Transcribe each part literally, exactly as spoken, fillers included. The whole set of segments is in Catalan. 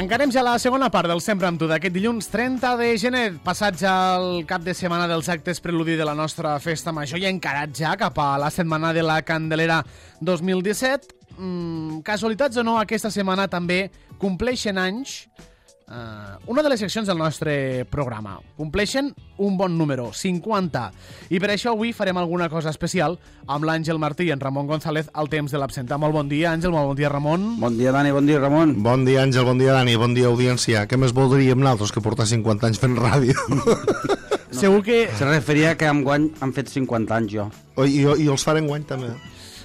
Encarem ja la segona part del Sempre amb tu d'aquest dilluns trenta de gener, passat ja el cap de setmana dels actes preludi de la nostra festa major i encarat ja cap a la setmana de la Candelera dos mil disset. Mm, casualitats o no, aquesta setmana també compleixen anys uh, una de les seccions del nostre programa. Compleixen un bon número, cinquanta. I per això avui farem alguna cosa especial amb l'Àngel Martí i en Ramon González al temps de l'absenta. Molt bon dia, Àngel, molt bon dia, Ramon. Bon dia, Dani, bon dia, Ramon. Bon dia, Àngel, bon dia, Dani, bon dia, audiència. Què més voldríem nosaltres que portar cinquanta anys fent ràdio? No. Segur que... Se referia que enguany han fet cinquanta anys, jo. Oh, i, I els farem guany, també.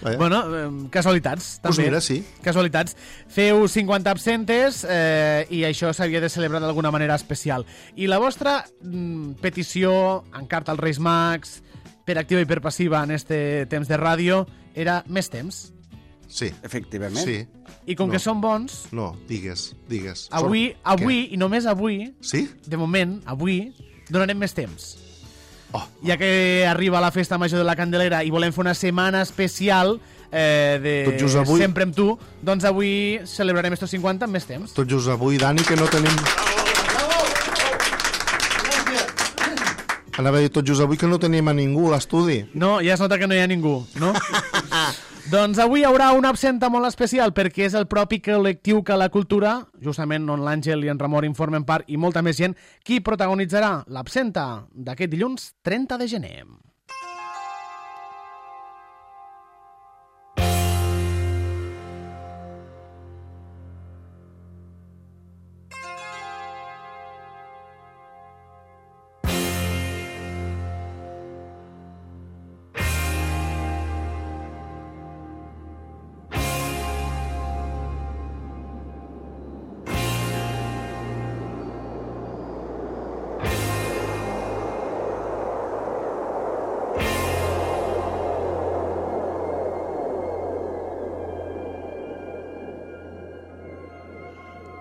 Eh? Bueno, eh, casualitats, també. Pues mira, sí. Casualitats. Feu cinquanta absentes eh, i això s'havia de celebrar d'alguna manera especial. I la vostra mm, petició en carta als Reis Mags, per activa i per passiva en este temps de ràdio, era més temps. Sí. Efectivament. Sí. I com no. que són bons... No, digues, digues. Avui, Sort... avui i només avui, sí? De moment, avui, donarem més temps. Oh. Ja que arriba la festa major de la Candelera i volem fer una setmana especial eh, de avui... Sempre amb tu, doncs avui celebrarem estos cinquanta amb més temps. Tot just avui, Dani, que no tenim... Anava a dir tot just avui que no tenim a ningú a l'estudi. No, ja es nota que no hi ha ningú, no? Doncs avui hi haurà una absenta molt especial perquè és el propi col·lectiu que la cultura, justament on l'Àngel i en Ramon informen part i molta més gent, qui protagonitzarà l'absenta d'aquest dilluns trenta de gener.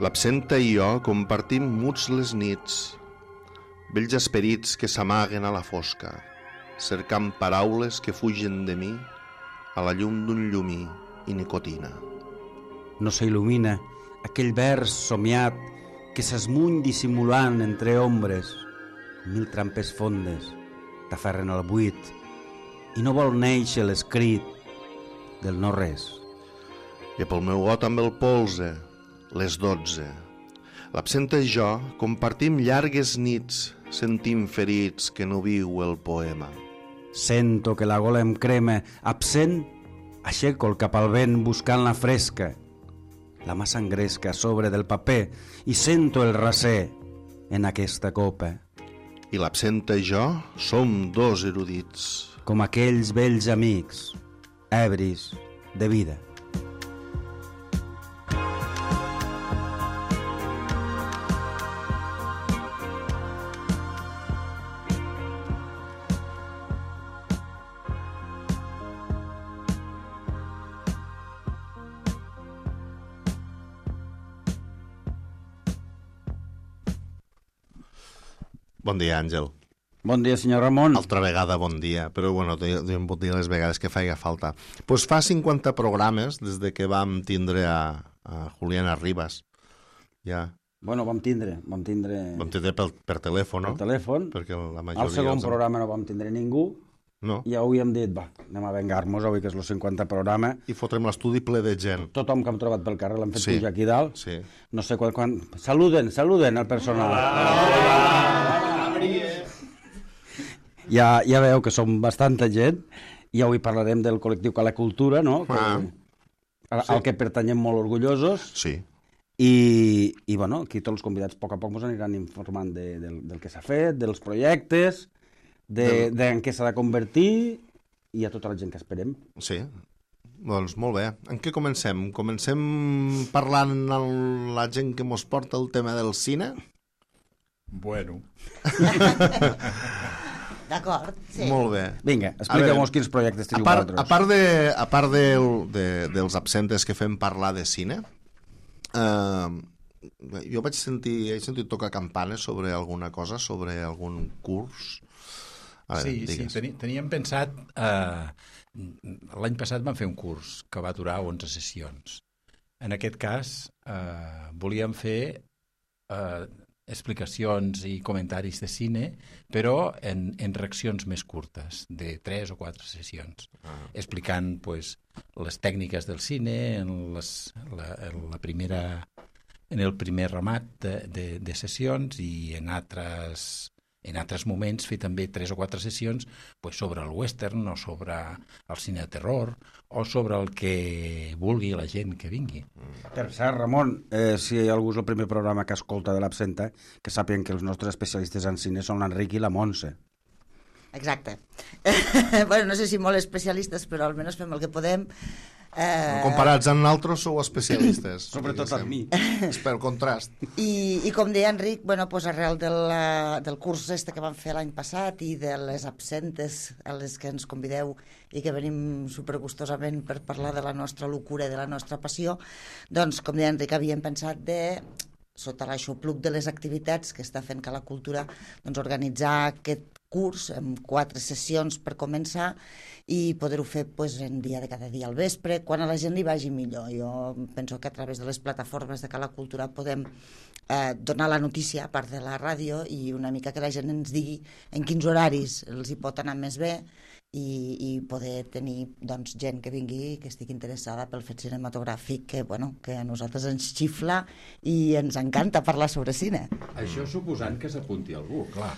L'absenta i jo compartim muts les nits, vells esperits que s'amaguen a la fosca, cercant paraules que fugen de mi a la llum d'un llumí i nicotina. No s'il·lumina aquell vers somiat que s'esmuny dissimulant entre ombres. Mil trampes fondes t'aferren al buit i no vol néixer l'escrit del no res. I pel meu got amb el polze, les dotze. L'absenta i jo compartim llargues nits, sentim ferits que no viu el poema. Sento que la gola em crema, absent, aixeco el cap al vent buscant la fresca. La mà s'engresca a sobre del paper i sento el raser en aquesta copa. I l'absenta i jo som dos erudits. Com aquells vells amics, ebris de vida. Bon dia, Àngel. Bon dia, senyor Ramon. Altra vegada bon dia, però bueno, em pot dir les vegades que faci falta. Doncs pues fa cinquanta programes des de que vam tindre a, a Juliana Ribas. Ja. Bueno, vam tindre, vam tindre... Vam tindre per, per telèfon, no? Per telèfon. Perquè la majoria... Al segon els... programa no vam tindre ningú. No. I avui hem dit, va, anem a vengar-nos avui, que és el cinquanta programa. I fotrem l'estudi ple de gent. Tothom que hem trobat pel carrer l'hem fet sí. pujar aquí dalt. Sí. No sé quan... quan... Saluden, saluden al personal. Hola. Ja, ja veu que som bastanta gent i avui parlarem del col·lectiu que la cultura, no? Que, ah. al, sí. al que pertanyem molt orgullosos. Sí. I, i bueno, aquí tots els convidats a poc a poc ens aniran informant de, del, del que s'ha fet, dels projectes, de, del... de en què s'ha de convertir i a tota la gent que esperem. Sí, doncs molt bé. En què comencem? Comencem parlant amb la gent que mos porta el tema del cine? Bueno. D'acord, sí. Molt bé. Vinga, expliqueu-nos quins projectes teniu vosaltres. A part, de, a part del, de, dels absentes que fem parlar de cine, eh, jo vaig sentir, he sentit tocar campanes sobre alguna cosa, sobre algun curs. A veure, sí, digues. sí, teni, teníem pensat... Eh, L'any passat vam fer un curs que va durar onze sessions. En aquest cas, eh, volíem fer eh, explicacions i comentaris de cine, però en, en reaccions més curtes, de tres o quatre sessions, ah. explicant pues, les tècniques del cine en, les, la, en la primera en el primer ramat de, de, de sessions i en altres en altres moments fer també tres o quatre sessions pues, sobre el western o sobre el cine de terror o sobre el que vulgui la gent que vingui. Per cert, Ramon, eh, si algú és el primer programa que escolta de l'Absenta, que sàpiguen que els nostres especialistes en cine són l'Enric i la Montse. Exacte. Bueno, no sé si molt especialistes, però almenys fem el que podem. Eh... Comparats amb nosaltres sou especialistes. Sobretot amb mi. És pel contrast. I, i com deia Enric, bueno, pues arrel del, del curs este que vam fer l'any passat i de les absentes a les que ens convideu i que venim supergustosament per parlar de la nostra locura i de la nostra passió, doncs, com deia Enric, havíem pensat de, sota l'aixopluc de les activitats que està fent Cala Cultura, doncs organitzar aquest curs amb quatre sessions per començar i poder-ho fer pues, en dia de cada dia al vespre, quan a la gent li vagi millor. Jo penso que a través de les plataformes de Cala Cultura podem eh, donar la notícia a part de la ràdio i una mica que la gent ens digui en quins horaris els hi pot anar més bé i, i poder tenir doncs, gent que vingui que estigui interessada pel fet cinematogràfic que, bueno, que a nosaltres ens xifla i ens encanta parlar sobre cine. Això suposant que s'apunti algú, clar.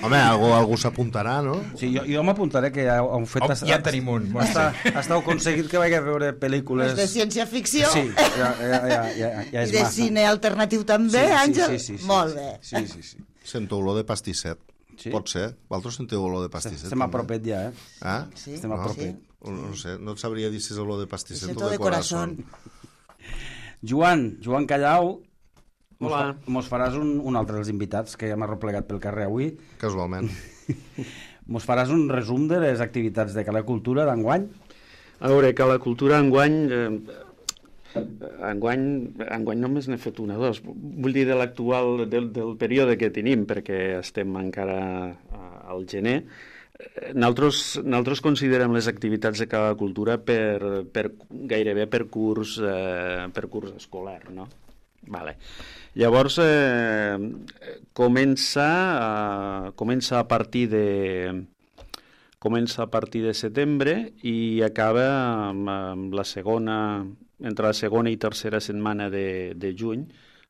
Home, algú, algú s'apuntarà, no? Sí, jo, jo m'apuntaré que ha, ha fet... Oh, ja tenim un. Està, està aconseguit que vagi a veure pel·lícules... Les de ciència-ficció. Sí, ja, ja, ja, ja, ja és i de massa. cine alternatiu també, sí, Àngel? Sí, sí, sí, Molt sí, bé. Sí, sí, sí. Sento olor de pastisset. Sí? Pot ser? Vosaltres sentiu olor de pastisset? Estem a propet ja, eh? Ah? Sí, Estem a no? propet. Sí. No, no sé, no et sabria dir si és olor de pastisset o Sento de de corazón. Joan, Joan Callau, mos, Hola. fa, mos faràs un, un altre dels invitats que hem arreplegat pel carrer avui. Casualment. Mos faràs un resum de les activitats de Cala Cultura d'enguany? A veure, que la cultura enguany... Eh, enguany, enguany només n'he fet una o dos. Vull dir de l'actual, del, del període que tenim, perquè estem encara al gener. Nosaltres, nosaltres considerem les activitats de Cala Cultura per, per, gairebé per curs, eh, per curs escolar, no? Vale. Llavors, eh, comença, eh, comença a partir de... comença a partir de setembre i acaba amb, amb la segona, entre la segona i tercera setmana de, de juny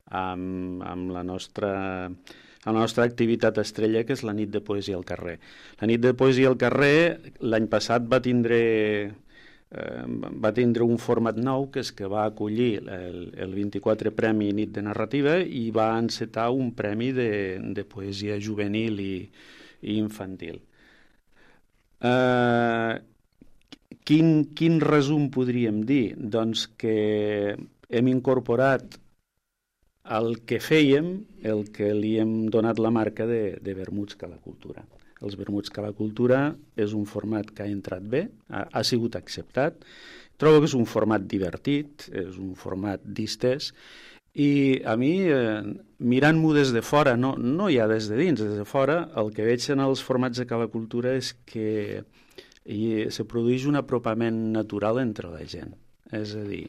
amb, amb la nostra, la nostra activitat estrella, que és la nit de poesia al carrer. La nit de poesia al carrer l'any passat va tindre, eh, va tindre un format nou, que és que va acollir el, el vint-i-quatre Premi Nit de Narrativa i va encetar un premi de, de poesia juvenil i, i infantil. Uh, quin, quin resum podríem dir? Doncs que hem incorporat el que fèiem, el que li hem donat la marca de, de vermuts Cala Cultura. Els vermuts Cala Cultura és un format que ha entrat bé, ha, ha sigut acceptat. Trobo que és un format divertit, és un format distès, i a mi, eh, mirant-m'ho des de fora, no, no ja des de dins, des de fora, el que veig en els formats de Cala Cultura és que hi, se produeix un apropament natural entre la gent. És a dir,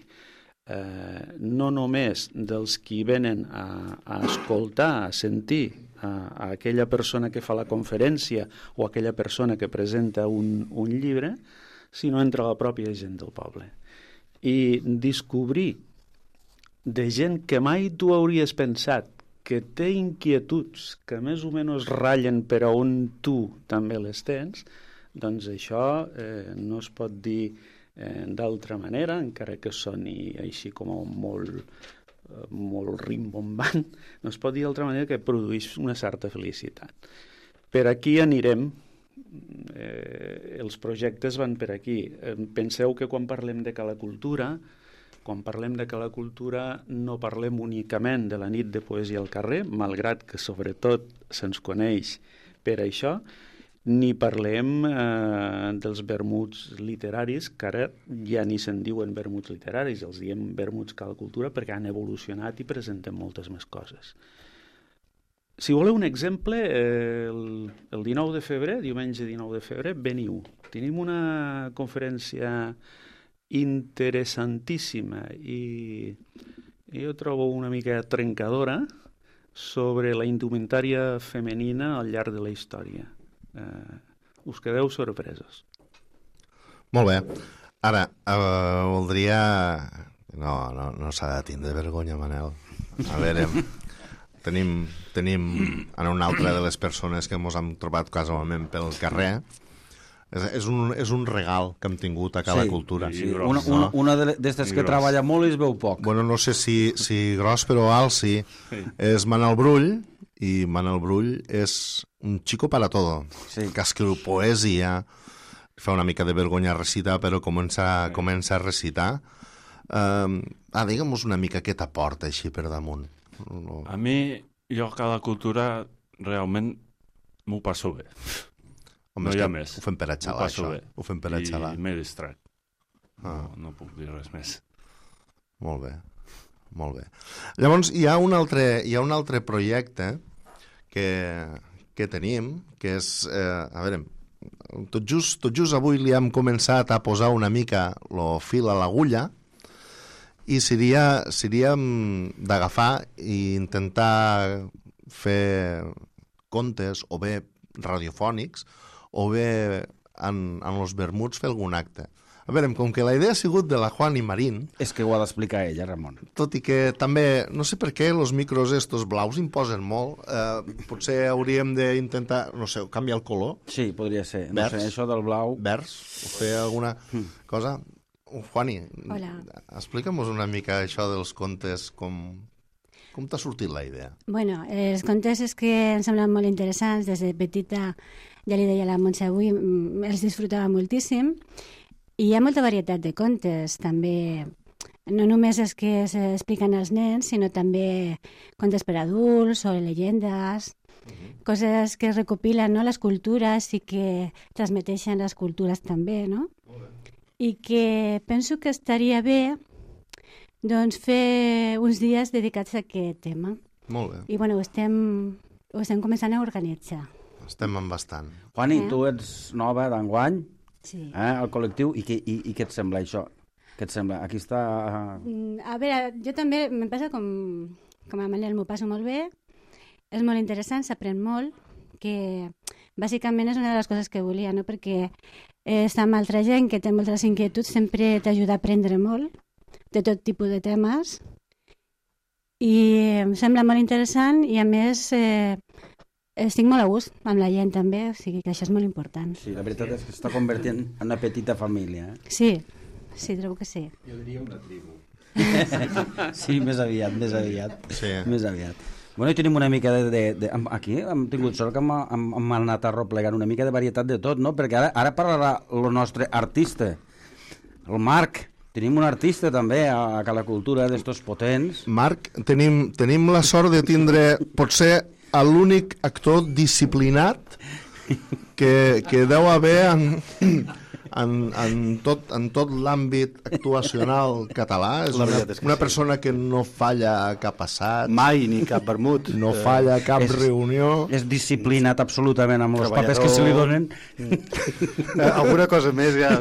eh, no només dels qui venen a, a escoltar, a sentir a, a aquella persona que fa la conferència o aquella persona que presenta un, un llibre, sinó entre la pròpia gent del poble. I descobrir de gent que mai tu hauries pensat que té inquietuds que més o menys ratllen per a on tu també les tens, doncs això eh, no es pot dir eh, d'altra manera, encara que soni així com molt, eh, molt rimbombant, no es pot dir d'altra manera que produeix una certa felicitat. Per aquí anirem, eh, els projectes van per aquí. Eh, penseu que quan parlem de Cala Cultura, quan parlem de Cala Cultura no parlem únicament de la nit de poesia al carrer, malgrat que sobretot se'ns coneix per això, ni parlem eh, dels vermuts literaris, que ara ja ni se'n diuen vermuts literaris, els diem vermuts Cala Cultura perquè han evolucionat i presenten moltes més coses. Si voleu un exemple, eh, el, el dinou de febrer, diumenge dinou de febrer, veniu. Tenim una conferència interessantíssima i jo trobo una mica trencadora sobre la indumentària femenina al llarg de la història. Eh, us quedeu sorpresos. Molt bé. Ara, eh, voldria... No, no, no s'ha de tindre vergonya, Manel. A veure, tenim, tenim en una altra de les persones que ens hem trobat casualment pel carrer. És, és, un, és un regal que hem tingut a cada sí, cultura. Sí, una, una, una d'aquestes que treballa molt i es veu poc. Bueno, no sé si, si gros, però alt sí. sí. És Manel Brull, i Manel Brull és un chico para todo. Sí. Que escriu poesia, fa una mica de vergonya recitar, però comença, sí. comença a recitar. Uh, ah, digue'm-nos una mica què t'aporta així per damunt. No. A mi, jo cada cultura realment m'ho passo bé. Home, no hi ha més. Ho fem per a xalar, això. Bé. Ho fem per a xalar. I m'he distrat. Ah. No, no puc dir res més. Molt bé, molt bé. Llavors, hi ha un altre, hi ha un altre projecte que, que tenim, que és, eh, a veure, tot just, tot just avui li hem començat a posar una mica el fil a l'agulla, i seria, seria d'agafar i intentar fer contes o bé radiofònics o bé en, en los vermuts fer algun acte. A veure, com que la idea ha sigut de la Juani Marín... És que ho ha d'explicar ella, Ramon. Tot i que també, no sé per què, els micros estos blaus imposen molt. Eh, potser hauríem d'intentar, no sé, canviar el color. Sí, podria ser. No Vers. sé, això del blau... Vers, o fer alguna mm. cosa... Juani, Hola. explica'm-nos una mica això dels contes, com, com t'ha sortit la idea? Bueno, els contes és que em semblen molt interessants. Des de petita, ja li deia a la Montse avui, els disfrutava moltíssim. I hi ha molta varietat de contes, també, no només els que s'expliquen als nens, sinó també contes per adults o llegendes, uh-huh. coses que es recopilen, no?, les cultures i que transmeteixen les cultures també, no? Uh-huh. I que penso que estaria bé doncs, fer uns dies dedicats a aquest tema. Molt bé. I bueno, ho estem, ho estem començant a organitzar. Estem en bastant. Juani, Eh? tu ets nova d'enguany, Sí. eh, al col·lectiu, i, que, i, i què et sembla això? Què et sembla? Aquí està... Mm, A veure, jo també me passa com, com a Manel, m'ho passo molt bé, és molt interessant, s'aprèn molt, que bàsicament és una de les coses que volia, no? Perquè eh, estar amb altra gent que té moltes inquietuds sempre t'ajuda a aprendre molt, de tot tipus de temes, i em sembla molt interessant i a més eh, estic molt a gust amb la gent també, o sigui que això és molt important. Sí, la veritat és que s'està convertint en una petita família. Eh? Sí, sí, trobo que sí. Jo diria una tribu. Sí, més aviat, més aviat. Sí. Més aviat. Bueno, i tenim una mica de... de, de aquí hem tingut sort que hem, hem, hem anat arroplegant una mica de varietat de tot, no? Perquè ara, ara parlarà el nostre artista, el Marc. Tenim un artista també a, a Cala Cultura d'estos potents. Marc, tenim, tenim la sort de tindre, potser, l'únic actor disciplinat que, que deu haver en, en, en tot, en tot l'àmbit actuacional català. És La una, veritat és que una sí. persona que no falla cap assaig, Mai, ni cap vermut. no falla cap És- reunió. És disciplinat absolutament amb els papers Treballador. que se li donen. Eh, alguna cosa més ja...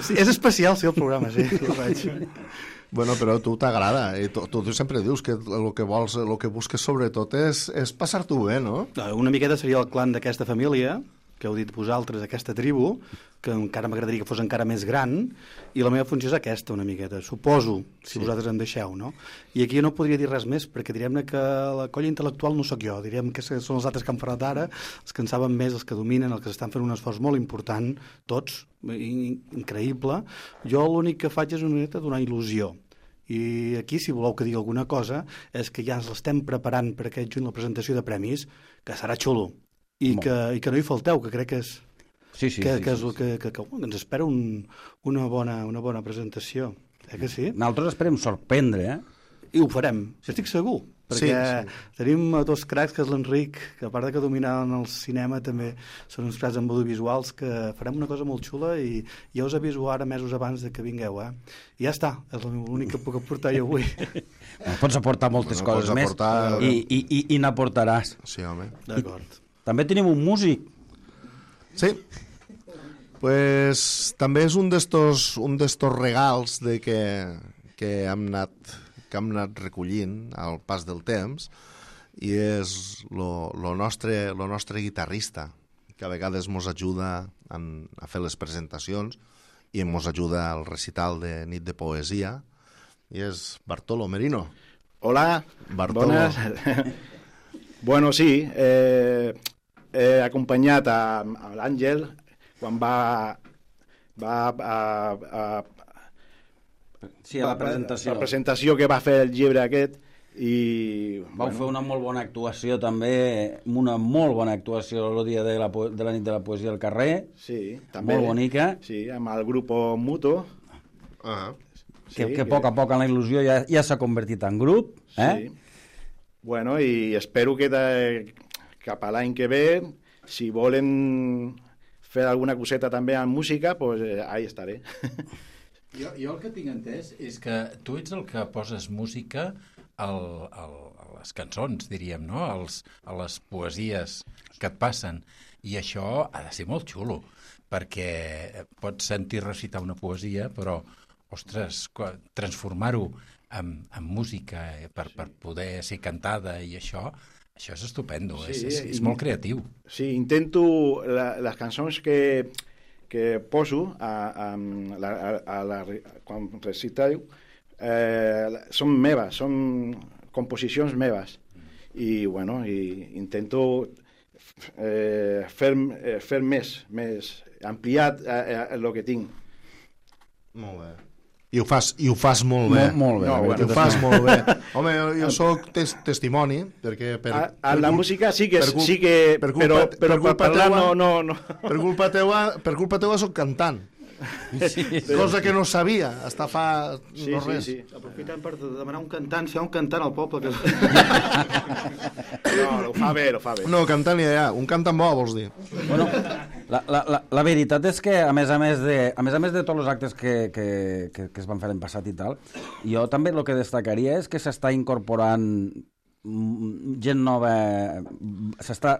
Sí, és especial, sí, el programa, sí, ja ho veig. Bueno, però a tu t'agrada, i tu, tu sempre dius que el que vols, el que busques sobretot és, és passar-t'ho bé, no? Una miqueta seria el clan d'aquesta família, que heu dit vosaltres, aquesta tribu, que encara m'agradaria que fos encara més gran, i la meva funció és aquesta, una miqueta, suposo, si sí. vosaltres em deixeu, no? I aquí jo no podria dir res més, perquè diríem que la colla intel·lectual no sóc jo, diríem que són els altres que han parlat ara, els que en saben més, els que dominen, els que estan fent un esforç molt important, tots, increïble. Jo l'únic que faig és una miqueta donar il·lusió. I aquí, si voleu que digui alguna cosa, és que ja ens l'estem preparant per aquest juny la presentació de premis, que serà xulo. I que, i que no hi falteu, que crec que és, Sí, sí, que, sí, que, sí, és, que, que, que, que ens espera un, una, bona, una bona presentació. Eh que sí? Nosaltres esperem sorprendre, eh? I ho farem, estic segur. Perquè Sí, sí. tenim dos cracs, que és l'Enric, que a part de que dominaven el cinema, també són uns cracs amb audiovisuals, que farem una cosa molt xula i ja us aviso ara mesos abans de que vingueu, eh? I ja està, és l'únic que puc aportar jo avui. Pots aportar moltes Bueno, coses pots més aportar- i, i, i, i n'aportaràs. Sí, home. D'acord. També tenim un músic. Sí. Pues també és un d'estos un d'estos regals de que, que hem anat que hem anat recollint al pas del temps, i és el nostre, lo nostre guitarrista, que a vegades ens ajuda en, a fer les presentacions i ens ajuda al recital de Nit de Poesia, i és Bartolo Merino. Hola, Bartolo. Bones. Bueno, sí, eh, he acompanyat a, a l'Àngel quan va, va a, a, sí, a la presentació. La presentació que va fer el llibre aquest, i vau bueno, fer una molt bona actuació també, una molt bona actuació el dia de la, de la nit de la poesia al carrer, sí, també, molt bonica, sí, amb el grup Muto, ah. que, sí, que, que a poc a poc en la il·lusió ja, ja s'ha convertit en grup, eh? Sí. Bueno, i espero que de, cap a l'any que ve, si volen fer alguna coseta també en música, pues eh, ahí estaré. Jo, jo el que tinc entès és que tu ets el que poses música al, al, a les cançons, diríem, no? Als, a les poesies que et passen. I això ha de ser molt xulo, perquè pots sentir recitar una poesia, però, ostres, transformar-ho en, en música per, per poder ser cantada i això, això és estupendo, sí, és, és, és molt creatiu. Sí, intento la, les cançons que, que poso a, a, a, a, a la, quan reciteu, Eh, són meves, són composicions meves, i bueno, i intento eh, fer, eh, fer més, més ampliat eh, el que tinc. Molt bé. I ho fas, i ho fas molt bé. Molt, molt bé. No, bueno, ho fas molt bé. Home, jo, jo soc tes, testimoni, perquè... Per, a, a per la cul... música sí que... Per, sí que per culpa, però, per però culpa per parlar teua, no, no, no. Per culpa teua, per culpa teua soc cantant. Sí, sí. Cosa que no sabia, està fa sí, no sí, res. Sí. Aprofitant per demanar un cantant, si hi ha un cantant al poble que... No, ho fa bé, ho fa bé. No, cantant ja hi ha, un cantant bo, vols dir? Bueno, la, la, la, la veritat és que, a més a més de, a més a més de tots els actes que, que, que, que es van fer l'any passat i tal, jo també el que destacaria és que s'està incorporant gent nova, s'està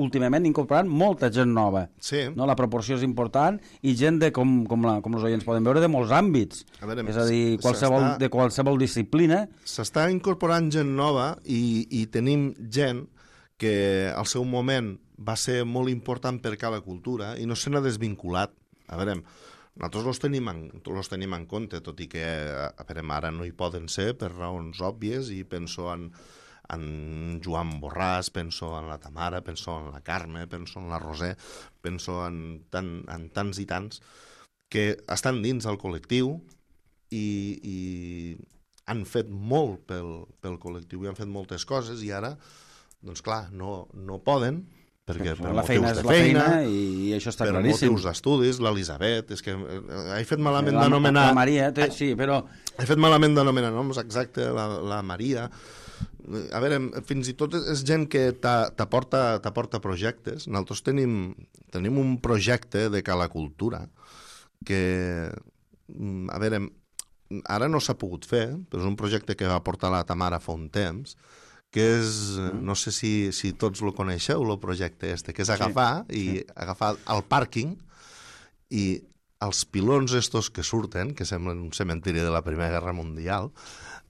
últimament incorporant molta gent nova. Sí. No? La proporció és important i gent de, com, com, la, com els oients poden veure, de molts àmbits. A veure, és a dir, qualsevol, de qualsevol disciplina. S'està incorporant gent nova i, i tenim gent que al seu moment va ser molt important per cada cultura i no se n'ha desvinculat. A veure, nosaltres los tenim, en, los tenim en compte, tot i que a veure, ara no hi poden ser per raons òbvies, i penso en en Joan Borràs, penso en la Tamara, penso en la Carme, penso en la Roser, penso en, tan, en tants i tants que estan dins del col·lectiu i, i han fet molt pel, pel col·lectiu i han fet moltes coses, i ara, doncs clar, no, no poden, perquè per la motius feina de és la feina, feina i, i això està per claríssim. motius d'estudis, l'Elisabet, és que he fet malament la, d'anomenar... La Maria, té, sí, però... He fet malament d'anomenar noms, exacte, la, la Maria... A veure, fins i tot és gent que t'aporta projectes. Nosaltres tenim, tenim un projecte de Cala Cultura que, a veure, ara no s'ha pogut fer, però és un projecte que va portar la Tamara fa un temps, que és, no sé si, si tots lo coneixeu, el projecte este, que és agafar, sí, i sí. agafar el pàrquing i els pilons estos que surten, que semblen un cementiri de la Primera Guerra Mundial,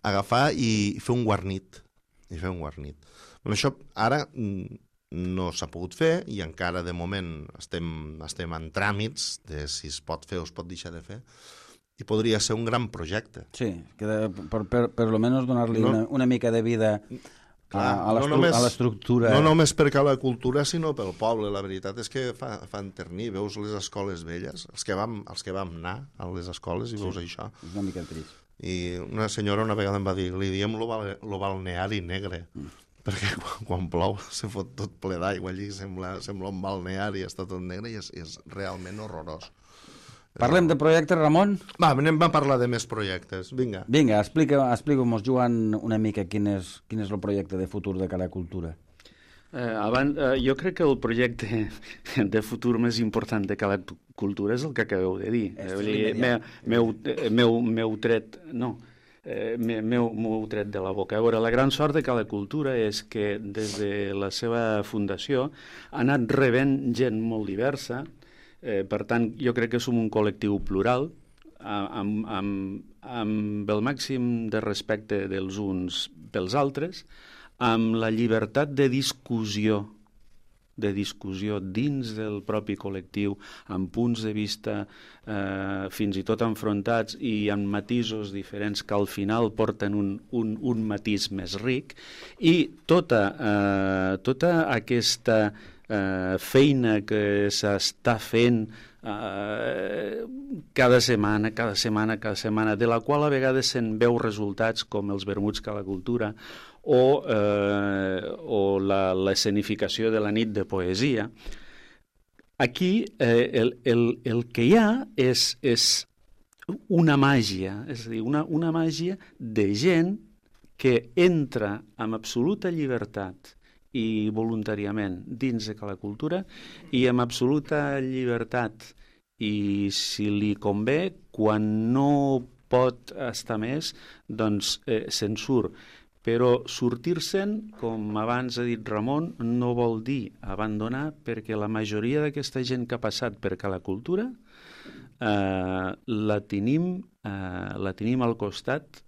agafar i fer un guarnit. I fer un guarnit. Però això ara no s'ha pogut fer i encara de moment estem, estem en tràmits de si es pot fer o es pot deixar de fer, i podria ser un gran projecte. Sí, que de, per, per, per almenys donar-li no, una, una mica de vida a, a l'estructura. No només per la cultura, sinó pel poble. La veritat és que fa, fa enternir. Veus les escoles velles, els que vam, els que vam anar a les escoles, i veus sí, això. És una mica trist. I una senyora una vegada em va dir, li diem lo, bal, lo balneari negre, mm. perquè quan, quan plou se fot tot ple d'aigua, allí sembla, sembla un balneari, està tot negre, i és, és realment horrorós. Parlem de projectes, Ramon? Va, anem a parlar de més projectes, vinga. Vinga, explica, explica-mos, Joan, una mica quin és, quin és el projecte de futur de Cala Cultura. Eh, abans, eh, jo crec que el projecte de futur més important de Cala Cultura és el que acabeu de dir. Eh, meu, meu, meu tret, no, eh, meu, meu tret de la boca. A veure, la gran sort de Cala Cultura és que des de la seva fundació ha anat rebent gent molt diversa, eh, per tant, jo crec que som un col·lectiu plural, amb, amb, amb el màxim de respecte dels uns pels altres, amb la llibertat de discussió, de discussió dins del propi col·lectiu, amb punts de vista eh, fins i tot enfrontats i amb matisos diferents que al final porten un, un, un matís més ric, i tota, eh, tota aquesta eh, feina que s'està fent eh, cada setmana, cada setmana, cada setmana, de la qual a vegades se'n veu resultats com els vermuts que la cultura, o, eh, o la, l'escenificació de la nit de poesia. Aquí eh, el, el, el que hi ha és, és una màgia, és a dir, una, una màgia de gent que entra amb absoluta llibertat i voluntàriament dins de la cultura, i amb absoluta llibertat, i si li convé, quan no pot estar més, doncs eh, se'n surt. Però sortir-se'n, com abans ha dit Ramon, no vol dir abandonar, perquè la majoria d'aquesta gent que ha passat per la cultura eh, la, tenim, eh, la tenim al costat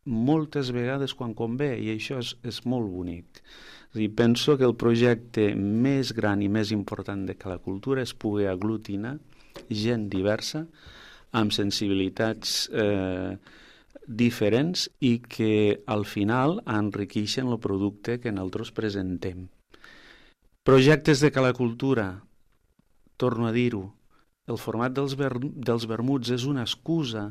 moltes vegades quan convé, i això és, és molt bonic. És a dir, penso que el projecte més gran i més important de la cultura és poder aglutinar gent diversa, amb sensibilitats eh, diferents, i que al final enriqueixen el producte que nosaltres presentem. Projectes de la cultura, torno a dir-ho, el format dels, ver dels vermuts és una excusa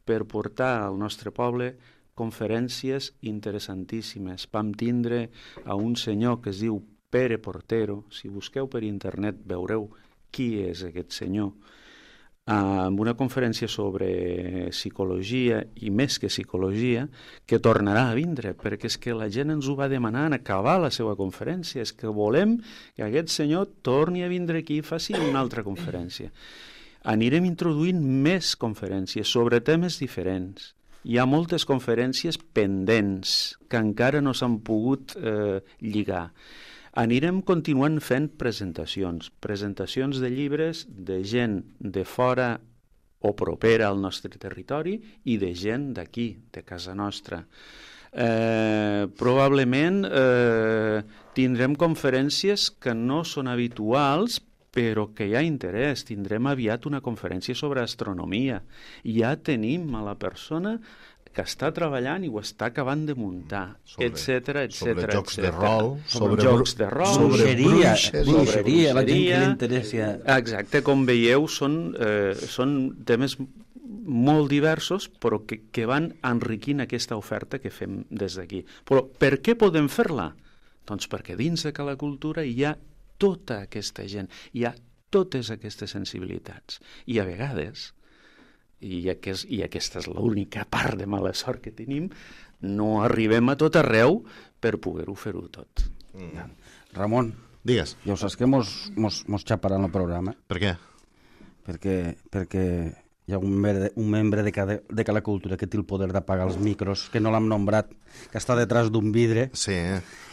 per portar al nostre poble conferències interessantíssimes. Vam tindre a un senyor que es diu Pere Portero, si busqueu per internet veureu qui és aquest senyor, amb una conferència sobre psicologia, i més que psicologia, que tornarà a vindre, perquè és que la gent ens ho va demanar en acabar la seva conferència, és que volem que aquest senyor torni a vindre aquí i faci una altra conferència. Anirem introduint més conferències sobre temes diferents. Hi ha moltes conferències pendents que encara no s'han pogut eh, lligar. Anirem continuant fent presentacions, presentacions de llibres de gent de fora o propera al nostre territori i de gent d'aquí, de casa nostra. Eh, probablement eh, tindrem conferències que no són habituals, però que hi ha interès. Tindrem aviat una conferència sobre astronomia. Ja tenim a la persona que està treballant i ho està acabant de muntar, etcètera, etcètera. Sobre jocs de rol, sobre jocs de rol, sobre bruixeria, bruixeria, la gent que li interessa. Exacte, com veieu, són, eh, són temes molt diversos, però que, que van enriquint aquesta oferta que fem des d'aquí. Però per què podem fer-la? Doncs perquè dins de la cultura hi ha tota aquesta gent, hi ha totes aquestes sensibilitats. I a vegades, i, aquest, i aquesta és l'única part de mala sort que tenim, no arribem a tot arreu per poder-ho fer-ho tot. Mm. Ramon, digues. Ja ho saps que mos, mos, mos xaparan el programa. Per què? Perquè, perquè hi ha un membre, un membre de, cada, de cada cultura que té el poder d'apagar els micros, que no l'hem nombrat, que està detrás d'un vidre. Sí,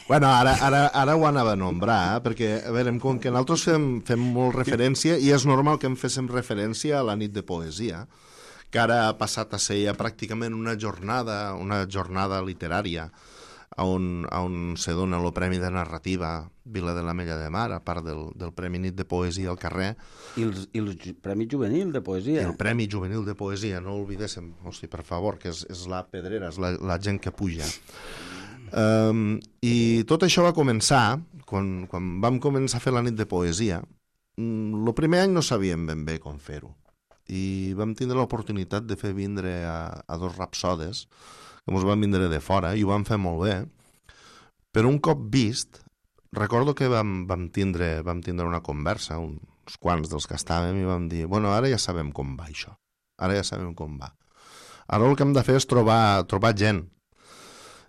bueno, ara, ara, ara ho anava a nombrar, perquè, a veure, com que nosaltres fem, fem molt referència, i és normal que em féssim referència a la nit de poesia, que ara ha passat a ser ja pràcticament una jornada, una jornada literària, on, on se dona el Premi de Narrativa Vila de l'Ametlla de Mar, a part del, del Premi Nit de Poesia al carrer. I el, i el Premi Juvenil de Poesia. El Premi Juvenil de Poesia, no oblidéssim, hosti, per favor, que és, és la pedrera, és la, la gent que puja. Um, I tot això va començar, quan, quan vam començar a fer la nit de poesia, el primer any no sabíem ben bé com fer-ho. I vam tindre l'oportunitat de fer vindre a, a dos rapsodes, que ens van vindre de fora, i ho vam fer molt bé. Però un cop vist, recordo que vam, vam, tindre, vam tindre una conversa, uns quants dels que estàvem, i vam dir, bueno, ara ja sabem com va això, ara ja sabem com va. Ara el que hem de fer és trobar, trobar gent.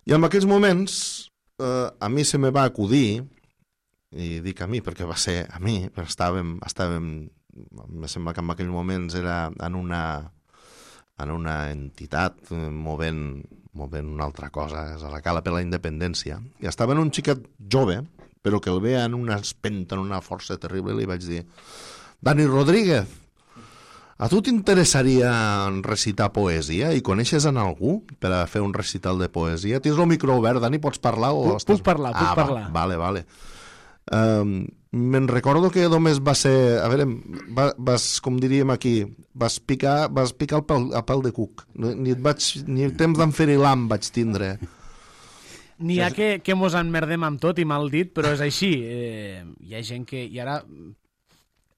I en aquells moments, eh, a mi se me va acudir, i dic a mi perquè va ser a mi, però estàvem... estàvem em sembla que en aquells moments era en una, en una entitat movent, movent una altra cosa, és a la Cala per la Independència, i estava en un xiquet jove, però que el veia en una espenta, en una força terrible, i li vaig dir, Dani Rodríguez, A tu t'interessaria recitar poesia i coneixes en algú per a fer un recital de poesia? Tens el micro obert, Dani, pots parlar? O puc, estàs... puc parlar, puc ah, parlar. Va, vale, vale. Um, me'n recordo que només va ser, a veure, va, vas, com diríem aquí, vas picar, vas picar el pèl, el pèl de cuc, ni, et vaig, ni el temps d'enferilam vaig tindre. N'hi ha que, que mos enmerdem amb tot i mal dit, però és així. Eh, hi ha gent que... I ara,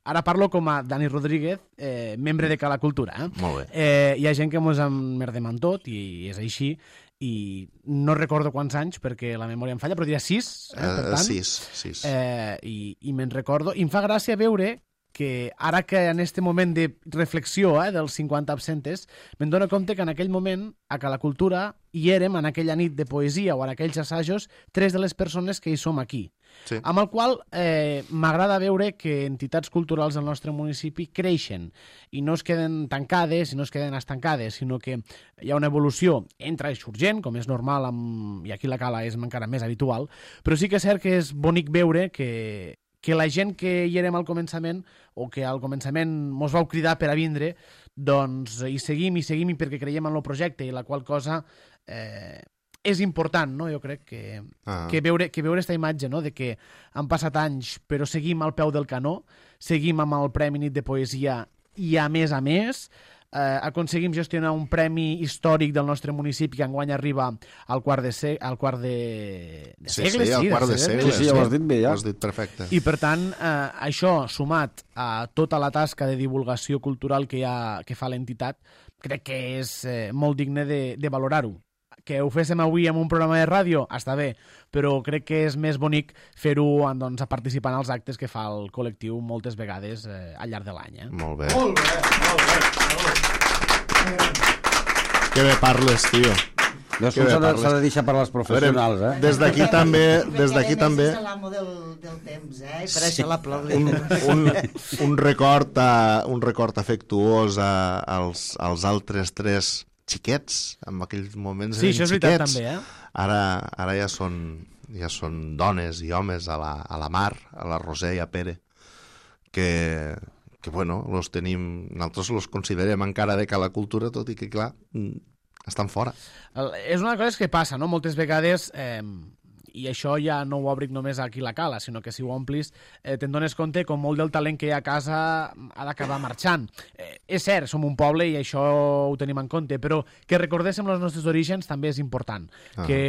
ara parlo com a Dani Rodríguez, eh, membre de Cala Cultura. Eh? Molt bé. Eh, hi ha gent que mos enmerdem amb tot i és així. I no recordo quants anys perquè la memòria em falla, però diria sis, eh, per tant. Sis, sis. Eh, I i me'n recordo. I em fa gràcia veure que ara que en este moment de reflexió eh, dels cinquanta absentes, me'n dono compte que en aquell moment, a Cala Cultura, hi érem, en aquella nit de poesia o en aquells assajos, tres de les persones que hi som aquí. Sí. Amb el qual eh, m'agrada veure que entitats culturals del nostre municipi creixen i no es queden tancades i no es queden estancades, sinó que hi ha una evolució, entra i sorgent, com és normal, amb... i aquí la Cala és encara més habitual, però sí que és cert que és bonic veure que, que la gent que hi érem al començament o que al començament mos vau cridar per a vindre, doncs hi seguim, hi seguim i perquè creiem en el projecte i la qual cosa... Eh, és important, no? Jo crec que, ah. que veure que veure esta imatge, no? De que han passat anys però seguim al peu del canó, seguim amb el Premi Nit de Poesia i a més a més eh, aconseguim gestionar un premi històric del nostre municipi que enguany arriba al quart de, se al quart de, de sí, segle. Sí, al quart de, de segle. Sí, sí, ja ho has dit bé, ja. Ho has dit perfecte. I per tant, eh, això sumat a tota la tasca de divulgació cultural que, hi ha, que fa l'entitat, crec que és eh, molt digne de, de valorar-ho. Que ho féssim avui en un programa de ràdio, està bé, però crec que és més bonic fer-ho doncs, a participar en els actes que fa el col·lectiu moltes vegades eh, al llarg de l'any. Eh? Molt bé. Molt bé, molt bé. Que bé parles, tio. S'ha de, de deixar per les professionals, eh? Des d'aquí també... Des d'aquí també... És l'amo del, del temps, eh? I per sí. això l'aplaudim. Un, un, un, record a, un record afectuós a, als, als altres tres xiquets, en aquells moments sí, eren això és xiquets. veritat, també, eh? Ara, ara ja són, ja són dones i homes a la, a la Mar, a la Roser i a Pere, que, que bueno, los tenim, nosaltres los considerem encara de Cala Cultura, tot i que, clar, estan fora. El, és una cosa que passa, no? Moltes vegades... Eh, i això ja no ho obric només aquí la Cala, sinó que si ho omplis eh, te'n dones compte com molt del talent que hi ha a casa ha d'acabar marxant. Eh, és cert, som un poble i això ho tenim en compte, però que recordéssim els nostres orígens també és important. Ah. Que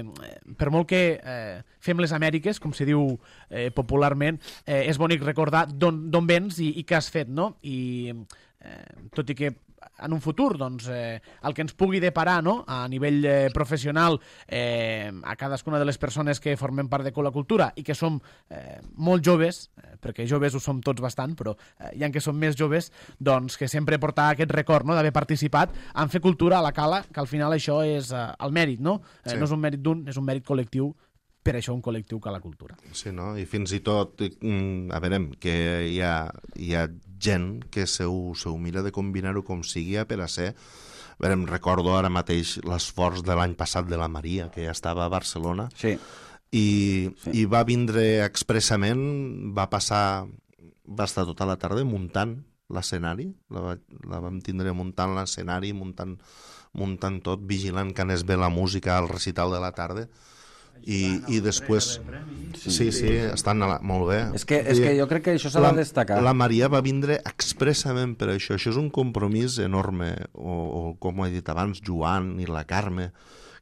eh, per molt que eh, fem les Amèriques, com se diu eh, popularment, eh, és bonic recordar d'on vens i, i què has fet, no? I eh, tot i que en un futur, doncs, eh, el que ens pugui deparar, no?, a nivell eh, professional eh, a cadascuna de les persones que formem part de Cala Cultura i que som eh, molt joves, eh, perquè joves ho som tots bastant, però eh, hi ha que som més joves, doncs que sempre portar aquest record, no?, d'haver participat en fer cultura a la Cala, que al final això és eh, el mèrit, no? Eh, sí. No és un mèrit d'un, és un mèrit col·lectiu, per això un col·lectiu Cala Cultura. Sí, no? I fins i tot, a veure, que hi ha, hi ha gent que se ho, se ho mira de combinar-ho com sigui per a ser... A veure, em recordo ara mateix l'esforç de l'any passat de la Maria, que ja estava a Barcelona, sí. I, sí. i va vindre expressament, va passar, va estar tota la tarda muntant l'escenari, la, la vam tindre muntant l'escenari, muntant, muntant tot, vigilant que anés bé la música al recital de la tarda, i, i després sí, sí, estan a la... molt bé. És que, és que jo crec que això s'ha de destacar. La Maria va vindre expressament per això. Això és un compromís enorme, o, o com he dit abans, Joan i la Carme,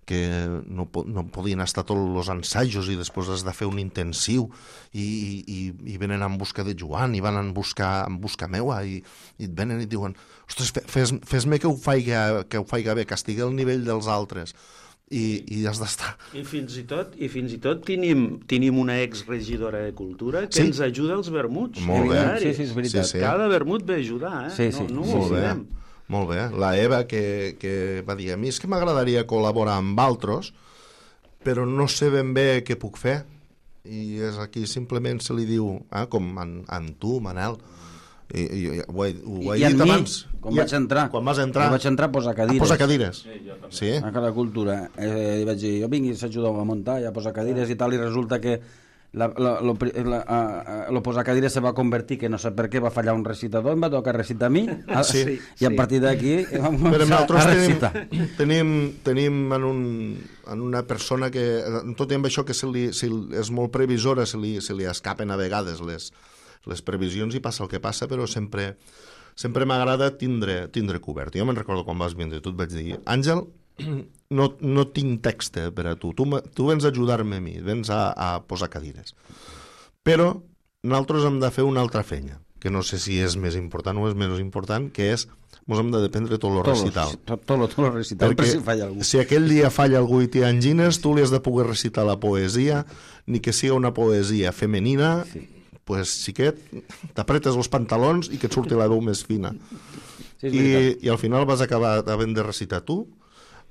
que no, no podien estar tots els ensajos i després has de fer un intensiu i, i, i venen en busca de Joan i van en busca, en busca meua i, i et venen i et diuen ostres, fes-me fes que, ho faiga, que ho faiga bé, que estigui al nivell dels altres. I, i has d'estar... I fins i tot, i fins i tot tenim, tenim una exregidora de cultura que sí? ens ajuda als vermuts. Molt bé. Sí, sí, és veritat. Sí, sí. Cada vermut ve a ajudar, eh? Sí, sí. No, no molt bé. Molt bé. La Eva, que, que va dir, a mi és que m'agradaria col·laborar amb altres, però no sé ben bé què puc fer. I és aquí simplement se li diu, eh, com en, en tu, Manel, I, i, i, ho he, ho he I dit mi, abans. quan vaig entrar, quan vas entrar, quan vaig entrar a posar cadires. A posar cadires. Sí, sí. A Cala Cultura. Eh, vaig dir, jo vinc i s'ajuda a muntar, ja a posar cadires i tal, i resulta que la, la, lo, la, uh, lo posacadires se va convertir, que no sé per què va fallar un recitador, em va tocar recitar a mi, sí, i sí. a partir d'aquí vam Però començar a recitar. Tenim, tenim, tenim en, un, en una persona que, tot i amb això que se li, se li, és molt previsora, se li, se li escapen a vegades les, les previsions i passa el que passa, però sempre, sempre m'agrada tindre, tindre cobert. Jo me'n recordo quan vas vindre, tu et vaig dir, Àngel, no, no tinc text per a tu, tu, tu vens a ajudar-me a mi, vens a, a posar cadires. Però nosaltres hem de fer una altra feina, que no sé si és més important o és menys important, que és, ens hem de dependre tot el recital. Tot, tot, tot el recital, per si falla algú. Si aquell dia falla algú i té angines, tu li has de poder recitar la poesia, ni que sigui una poesia femenina, sí. Pues xiquet, t'apretes els pantalons i que et surti la veu més fina. Sí, I, I al final vas acabar havent de recitar tu.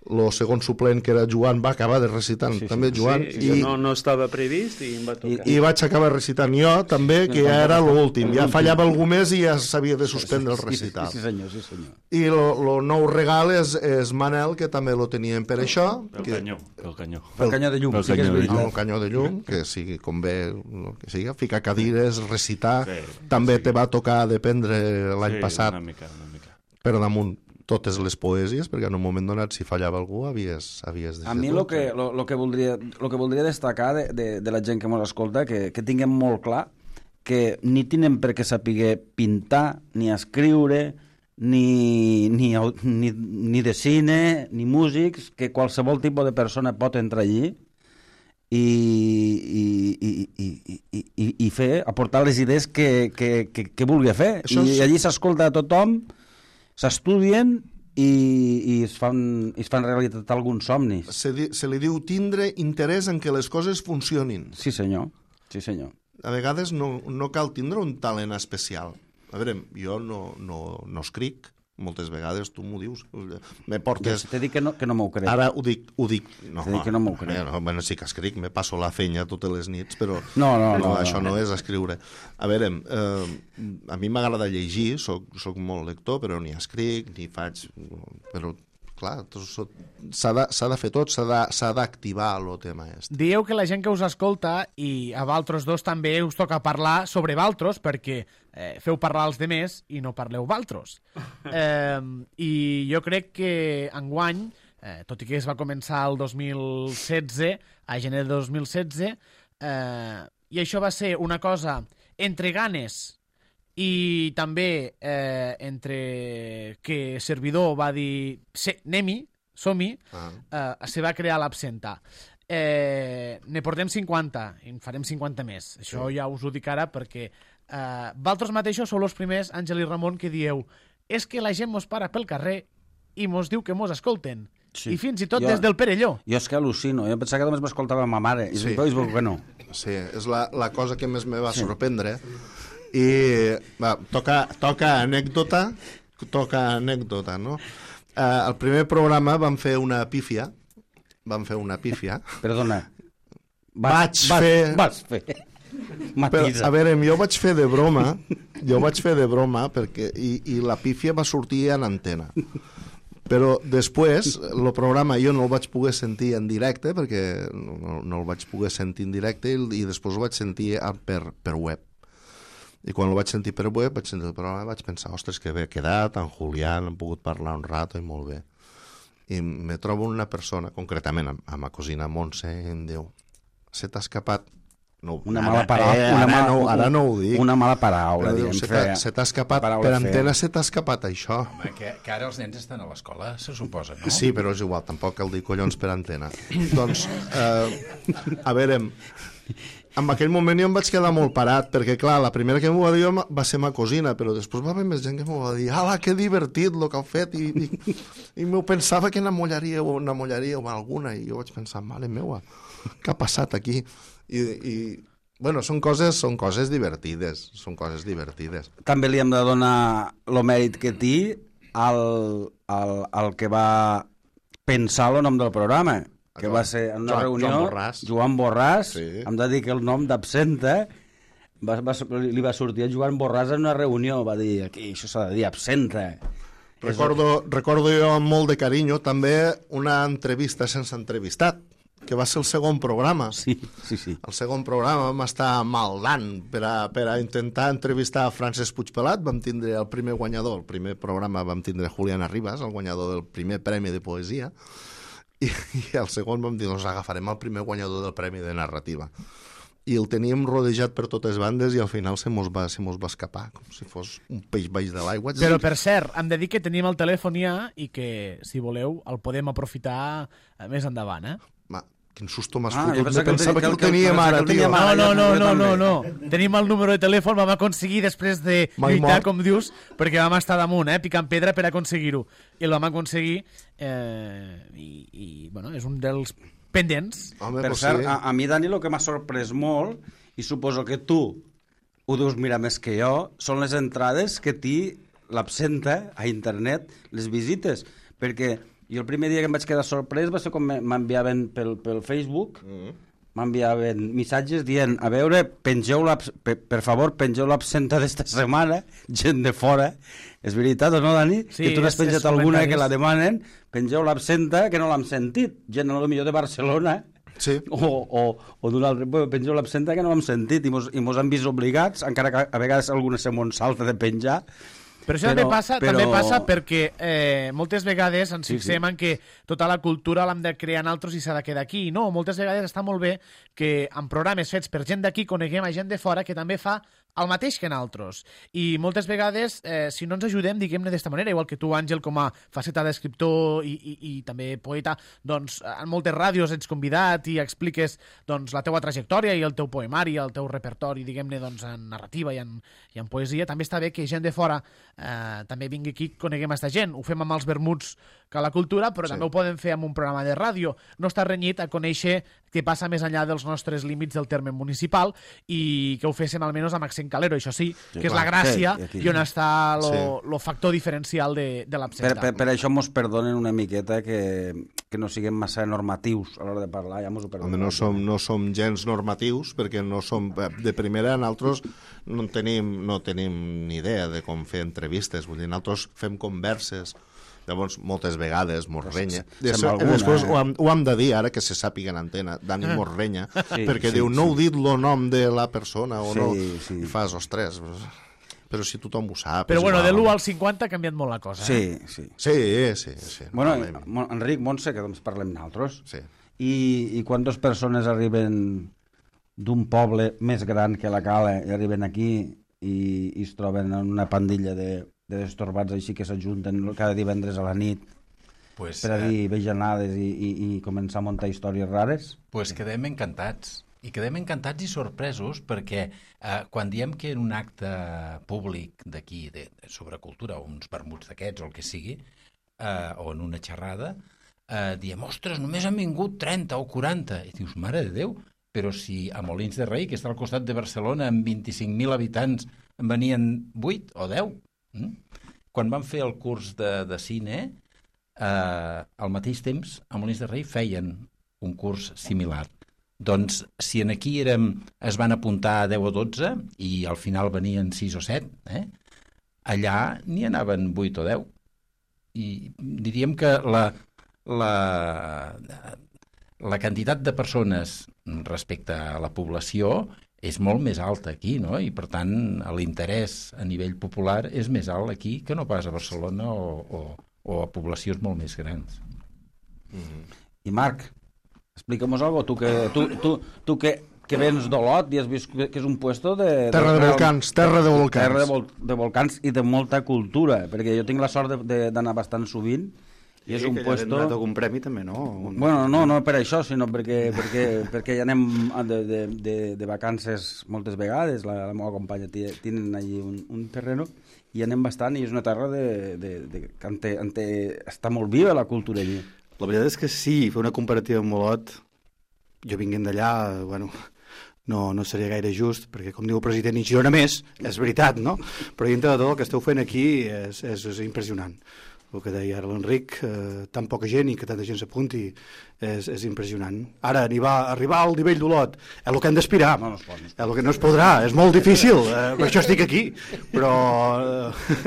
El segon suplent, que era Joan, va acabar de recitant sí, sí, també Joan. Sí, i, no, no estava previst i em va tocar. I, i vaig acabar recitant jo també, que ja era l'últim. Ja fallava algú més i ja s'havia de suspendre el recital. Sí, sí, senyor, sí, senyor. I el nou regal és, és Manel, que també lo tenien per això. Pel que, canyó, pel canyó. Pel canyó de llum, pel sí que és veritat. El canyó de llum, que sigui com bé, que sigui, ficar cadires, recitar. Sí, també sí. Te va tocar dependre l'any sí, passat. Una mica, una mica. Per damunt totes les poesies, perquè en un moment donat, si fallava algú, havies, havies de A mi el que, lo, lo que, voldria, lo que voldria destacar de, de, de la gent que ens escolta, que, que tinguem molt clar que ni tenen per què saber pintar, ni escriure, ni, ni, ni, ni de cine, ni músics, que qualsevol tipus de persona pot entrar allí i, i, i, i, i, i, i fer, aportar les idees que, que, que, que vulgui fer. Això és... I allí s'escolta a tothom, s'estudien i, i es, fan, es fan realitat alguns somnis. Se, di, se li diu tindre interès en que les coses funcionin. Sí, senyor. Sí, senyor. A vegades no, no cal tindre un talent especial. A veure, jo no, no, no escric, moltes vegades tu m'ho dius. Me portes... T'he dit que no, que no m'ho crec. Ara ho dic... Ho dic no, T'he dit que no m'ho crec. No, bueno, sí que escric, me passo la feina totes les nits, però no, no, no, no, això no, no és escriure. A veure, eh, a mi m'agrada llegir, soc, soc molt lector, però ni escric, ni faig... Però, clar, s'ha de, s'ha de fer tot, s'ha d'activar el tema este. Dieu que la gent que us escolta, i a valtros dos també us toca parlar sobre valtros, perquè eh, feu parlar els demés i no parleu valtros. Eh, I jo crec que enguany, eh, tot i que es va començar el dos mil setze, a gener de dos mil setze, eh, i això va ser una cosa entre ganes i també eh, entre que servidor va dir anem-hi, som-hi, ah. eh, se va crear l'Absenta. Eh, ne portem cinquanta, i en farem cinquanta més. Això sí. Ja us ho dic ara perquè eh, vosaltres mateixos sou els primers, Àngel i Ramon, que dieu és que la gent mos para pel carrer i mos diu que mos escolten. Sí. I fins i tot jo, des del Perelló. Jo és que al·lucino, jo pensava que només m'escoltava ma mare, i sí. després veig que no. Sí, és la, la cosa que més me va sí. sorprendre. I va, toca, toca anècdota, toca anècdota, no? Uh, el primer programa vam fer una pífia, vam fer una pífia. Perdona. Vaig fer... Vas fer... Però, a veure, jo vaig fer de broma, jo vaig fer de broma, perquè, i, i la pífia va sortir en antena. Però després, el programa jo no el vaig poder sentir en directe, perquè no, no el vaig poder sentir en directe, i, i després el vaig sentir per, per web. I quan el vaig sentir per web, vaig sentir el programa, vaig pensar, ostres, que bé quedat, en Julián, hem pogut parlar un rato i molt bé. I me trobo una persona, concretament amb, amb la cosina Montse, i em diu, se t'ha escapat... No, una mala paraula, eh, una ara, mala, no, ara no ho dic. Una mala paraula, diguem. Se t'ha escapat, per antena se t'ha escapat això. Home, que, que ara els nens estan a l'escola, se suposa, no? Sí, però és igual, tampoc cal dir collons per antena. Doncs, eh, a veure, en aquell moment jo em vaig quedar molt parat, perquè clar, la primera que m'ho va dir va ser ma cosina, però després va haver més gent que m'ho va dir, ala, que divertit el que heu fet, i, i, i m'ho pensava que n'amollaríeu n'amollaríeu alguna, i jo vaig pensar, mare meua, què ha passat aquí? I, i bueno, són coses, són coses divertides, són coses divertides. També li hem de donar el mèrit que té al, al, al que va pensar el nom del programa, que Joan, va ser en una Joan, reunió, Joan Borràs, Joan Borràs sí. Hem de dir que el nom d'Absenta va, va, li va sortir a Joan Borràs en una reunió, va dir, aquí això s'ha de dir Absenta. Recordo, recordo jo amb molt de carinyo també una entrevista sense entrevistat, que va ser el segon programa. Sí, sí, sí. El segon programa vam estar maldant per a, per a intentar entrevistar a Francesc Puigpelat. Vam tindre el primer guanyador, el primer programa vam tindre Juliana Ribas, el guanyador del primer premi de poesia, i, i el segon vam dir, doncs agafarem el primer guanyador del premi de narrativa. I el teníem rodejat per totes bandes i al final se mos va, se mos va escapar, com si fos un peix baix de l'aigua. Però, per cert, hem de dir que tenim el telèfon ja i que, si voleu, el podem aprofitar més endavant, eh? Ma, quin susto m'has Ah, jo fotut. pensava que el Pensava que teni- el que el- teníem pensava ara, que el tio. teníem ara. No, no, no, jo no, no, també. no. Tenim el número de telèfon, vam aconseguir després de Mai lluitar, mort. com dius, perquè vam estar damunt, eh, picant pedra per aconseguir-ho. I el vam aconseguir, eh, i, i, bueno, és un dels pendents. Home, Per pues cert, sí. a, a mi, Dani, el que m'ha sorprès molt, i suposo que tu ho deus mirar més que jo, són les entrades que té l'absenta a internet, les visites, perquè jo el primer dia que em vaig quedar sorprès va ser quan m'enviaven pel, pel Facebook, mm. m'enviaven missatges dient, a veure, pengeu per, per favor, pengeu l'absenta d'esta setmana, gent de fora. És veritat o no, Dani? Sí, que tu n'has és- penjat és alguna que comentaris. la demanen, pengeu l'absenta que no l'hem sentit. Gent, a lo millor de Barcelona, Sí. o, o, o d'un altre, bueno, pengeu l'absenta que no l'hem sentit i mos, i mos han vist obligats, encara que a vegades alguna se mos salta de penjar. Però això també, passa, però- també passa perquè eh, moltes vegades ens Sí, fixem sí. en que tota la cultura l'hem de crear en altres i s'ha de quedar aquí. No, moltes vegades està molt bé que en programes fets per gent d'aquí coneguem a gent de fora que també fa el mateix que en altres. I moltes vegades, eh, si no ens ajudem, diguem-ne d'esta manera, igual que tu, Àngel, com a faceta d'escriptor i, i, i també poeta, doncs en moltes ràdios ets convidat i expliques doncs, la teua trajectòria i el teu poemari, el teu repertori, diguem-ne, doncs, en narrativa i en, i en poesia. També està bé que gent de fora eh, també vingui aquí i coneguem aquesta gent. Ho fem amb els vermuts que la cultura, però Sí. també ho podem fer amb un programa de ràdio. No està renyit a conèixer què passa més enllà dels nostres límits del terme municipal i que ho féssim almenys amb accent calero, això sí, Sí, que és clar, la gràcia sí, aquí. i on està lo, Sí. lo factor diferencial de, de Per, l'absenta. per, per això mos perdonen una miqueta que, que no siguem massa normatius a l'hora de parlar, ja mos ho Home, perdonen. no som, no som gens normatius perquè no som, de primera nosaltres no en tenim, no tenim ni idea de com fer entrevistes, vull dir, nosaltres fem converses, llavors moltes vegades mos renya. Sembla Després, alguna, després eh? ho, hem, ho hem de dir ara que se sàpiga en antena, Dani mos renya, Sí, perquè sí, diu, no sí. heu dit el nom de la persona o Sí, no, sí. i fas, ostres, però si tothom ho sap. Però és bueno, igual, de l'u home. al cinquanta ha canviat molt la cosa. Eh? Sí, sí. Sí, sí, sí. Bueno, normalment. Mon- Enric, Montse, que doncs parlem nosaltres. Sí. I, I quantes persones arriben d'un poble més gran que la Cala i arriben aquí i, i es troben en una pandilla de, de destorbats així que s'ajunten cada divendres a la nit Pues, per a eh, dir vejanades i, i, i començar a muntar històries rares? pues quedem encantats. I quedem encantats i sorpresos perquè eh, quan diem que en un acte públic d'aquí, de, sobre cultura, o uns vermuts d'aquests o el que sigui, eh, o en una xerrada, eh, diem, ostres, només han vingut trenta o quaranta. I dius, mare de Déu, però si a Molins de Rei, que està al costat de Barcelona, amb vint-i-cinc mil habitants, en venien vuit o deu. Mm? Quan vam fer el curs de, de cine, eh, al mateix temps, a Molins de Rei feien un curs similar. Doncs si en aquí érem, es van apuntar a deu o dotze i al final venien sis o set, eh? Allà n'hi anaven vuit o deu. I diríem que la, la, la quantitat de persones respecte a la població és molt més alta aquí, no? I per tant l'interès a nivell popular és més alt aquí que no pas a Barcelona o, o, o a poblacions molt més grans. Mm-hmm. I Marc, explica'm-nos algo, tu que, tu, tu, tu que, que vens d'Olot i has vist que és un puesto de... Terra de volcans, terra de volcans. Terra de, vol, de volcans i de molta cultura, perquè jo tinc la sort d'anar bastant sovint i és Sí, un que puesto... ja donat algun premi també, no? Un... Bueno, no, no per això, sinó perquè, perquè, perquè ja anem de, de, de, de vacances moltes vegades, la, la meva companya tenen allí un, un terreno i anem bastant i és una terra de, de, de, que ante, ante, està molt viva la cultura allí. La veritat és que sí, fer una comparativa amb Olot, jo vinguent d'allà, bueno, no, no seria gaire just, perquè com diu el president, i Girona més, és veritat, no? Però dintre de tot el que esteu fent aquí és, és, és impressionant. El que deia ara l'Enric, eh, tan poca gent i que tanta gent s'apunti és, és impressionant. Ara, arribar, arribar al nivell d'Olot és el que hem d'aspirar, No, no es pot. és el que no es podrà, és molt difícil, eh, per això estic aquí, però, eh,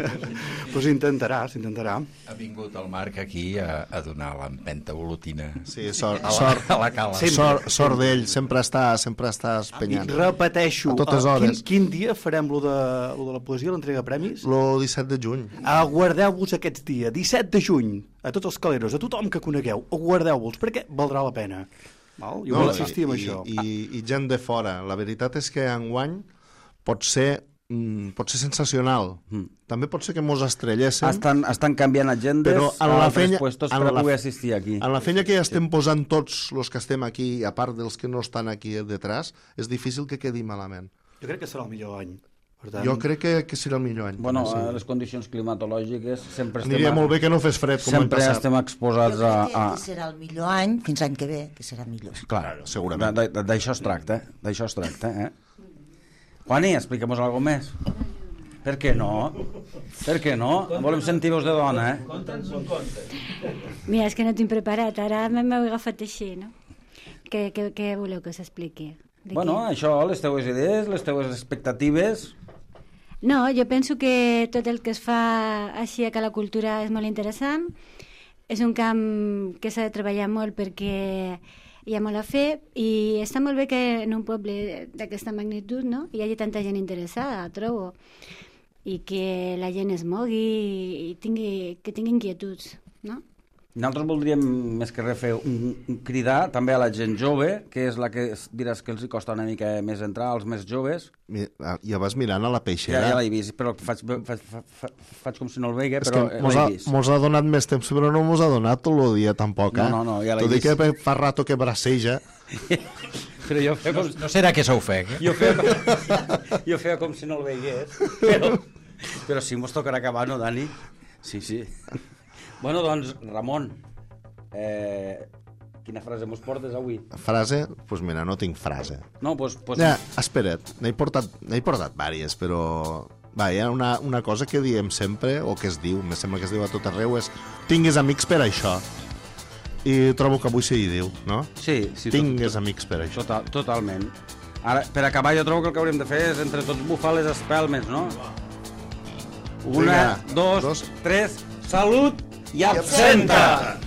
però s'intentarà, s'intentarà. Ha vingut el Marc aquí a, a donar l'empenta olotina. Sí, sort, a la, sort, a la cala. sempre, sort, sort d'ell, sempre està, sempre està I espenyant. repeteixo, A totes eh, hores. quin, quin dia farem lo de, lo de la poesia, l'entrega de premis? Lo disset de juny. Aguardeu-vos aquests dies, disset de juny, a tots els caleros, a tothom que conegueu, aguardeu-vos, perquè valdrà la pena. Val? Jo no, vull insistir en i, això. I, i gent de fora. La veritat és que enguany pot ser, mm, pot ser sensacional. Mm. També pot ser que mos estrelléssim. Estan, estan canviant agendes Però en a la altres fenya- puestos en per a la- poder assistir aquí. En la feina que ja estem posant tots els que estem aquí, a part dels que no estan aquí detrás, és difícil que quedi malament. Jo crec que serà el millor any. Per tant, Jo crec que, que serà el millor any. Bueno, també, a les condicions climatològiques sempre estem... Aniria molt bé que no fes fred com l'any Sempre passat. estem exposats Jo a... crec que, a... que serà el millor any, fins l'any que ve, que serà millor. Clar, segurament. de- de- D'això es tracta, d'això es tracta, eh? Juani, expliquem-nos alguna més. Per què no? Per què no? Volem sentir veus de dona, eh? Conta'ns un conte. Mira, és que no tinc preparat, ara m'heu agafat així, no? Què, què, què voleu que s'expliqui? De Bueno, què? això, les teues idees, les teues expectatives... No, jo penso que tot el que es fa així a Cala Cultura és molt interessant. És un camp que s'ha de treballar molt perquè hi ha molt a fer i està molt bé que en un poble d'aquesta magnitud, no?, hi hagi tanta gent interessada, trobo, i que la gent es mogui i tingui, que tingui inquietuds, no? Nosaltres voldríem, més que res, fer un, un cridar també a la gent jove, que és la que es- diràs que els hi costa una mica més entrar, als més joves. Mi- Ja vas mirant a la Ja, peixera. ja l'he vist, però faig, faig, faig, faig com si no el veia, És però que eh, mos ha, l'he vist. mos ha donat més temps, però no mos ha donat tot el dia tampoc, eh? No, no, no, ja l'he Tot i vist. que fa rato que braceja. Però jo feia com, No serà que s'ofegui? jo feia, com- jo feia com si no el veiés, però, però sí, mos tocarà acabar, no, Dani? Sí, sí. Bueno, doncs, Ramon, eh, quina frase mos portes avui? Frase? Doncs pues mira, no tinc frase. No, doncs... Pues, Ja, espera't, n'he portat, n'he portat vàries, però... Va, hi ha una, una cosa que diem sempre, o que es diu, me sembla que es diu a tot arreu, és tingues amics per això. I trobo que avui s'hi diu, no? Sí, sí. Tingues tot, amics per això. Total, totalment. Ara, per acabar, jo trobo que el que hauríem de fer és entre tots bufar les espelmes, no? Una, Vinga, dos, dos. tres, salut i absenta!